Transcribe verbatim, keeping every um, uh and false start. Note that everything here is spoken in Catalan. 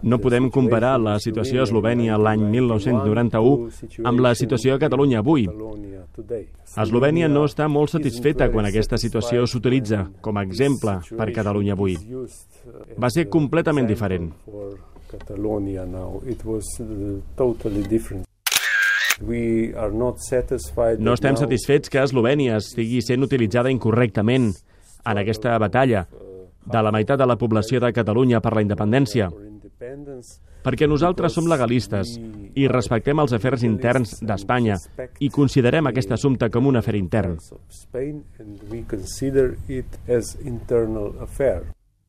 No podem comparar la situació a Eslovènia l'any mil nou-cents noranta-u amb la situació a Catalunya avui. Eslovènia no està molt satisfeta quan aquesta situació s'utilitza com a exemple per Catalunya avui. Va ser completament diferent. No estem satisfets que Eslovènia estigui sent utilitzada incorrectament en aquesta batalla de la meitat de la població de Catalunya per la independència, perquè nosaltres som legalistes i respectem els afers interns d'Espanya i considerem aquest assumpte com un afer intern.